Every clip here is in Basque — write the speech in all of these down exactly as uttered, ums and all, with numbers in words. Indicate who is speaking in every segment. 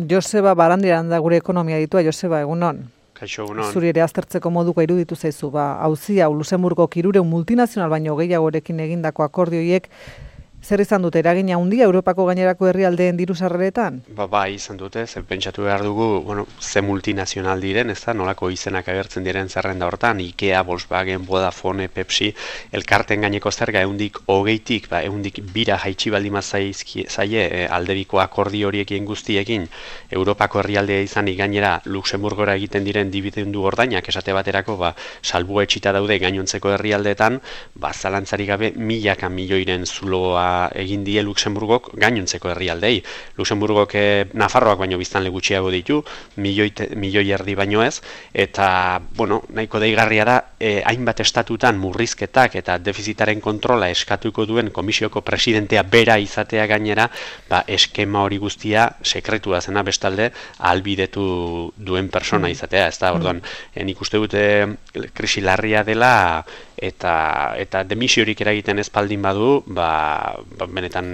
Speaker 1: Joseba Barandiaran da gure ekonomia ditua. Joseba, egunon.
Speaker 2: Kaixo, egunon.
Speaker 1: Zuri ere aztertzeko moduko iruditu zaizu, ba, auzi hau Luxemburgo hirurehun multinazional baino gehiagorekin egindako akordioiek zer izan dute eragina handia Europako gainerako herrialdeen diru sarreretan?
Speaker 2: Ba, bai, izan dute, ze pentsatu behar dugu, bueno, ze multinazional diren, ez da, nolako izenak agertzen diren zerrenda hortan, IKEA, Volkswagen, Vodafone, Pepsi, elkarten gaineko zerga ehundik hogeitik, ba, ehundik bira jaitsi baldin zaie e, aldebiko akordio horiekin guztiekin, Europako herrialdea izanik gainera Luxemburgora egiten diren dibidendu ordainak esate baterako, ba, salbu etxita daude gainontzeko herrialdeetan, ba, zalantzarik gabe milaka milioiren zuloa egin die Luxemburgok gainontzeko herrialdei. Luxemburgok eh, Nafarroak baino biztanle gutxiago ditu, milioi, milioi erdi baino ez, eta, bueno, nahiko deigarria da, eh, hainbat estatutan murrizketak eta defizitaren kontrola eskatuko duen komisioko presidentea bera izatea gainera, ba, eskema hori guztia sekretua zena bestalde ahalbidetu duen persona izatea, ez da, orduan, eh, nik uste dute krisi larria dela, eta eta demisiorik eragiten ez baldin badu, ba, ba benetan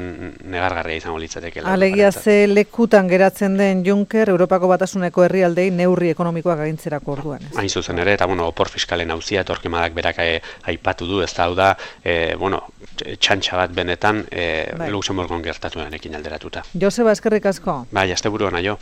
Speaker 2: negargarria izango litzatekeela.
Speaker 1: Alegia ze lekutan geratzen den Juncker Europako Batasuneko herrialdei neurri ekonomikoak agintzerako orduan.
Speaker 2: Hain zuzen ere, eta bueno, opor fiskalen auzia Torquemadak berak e, aipatu du, ez da, hau da, e, bueno, txantxa bat benetan e, bai. Luxemburgon gertatuenekin alderatuta.
Speaker 1: Joseba, eskerrik asko.
Speaker 2: Bai, asteburu ona jo.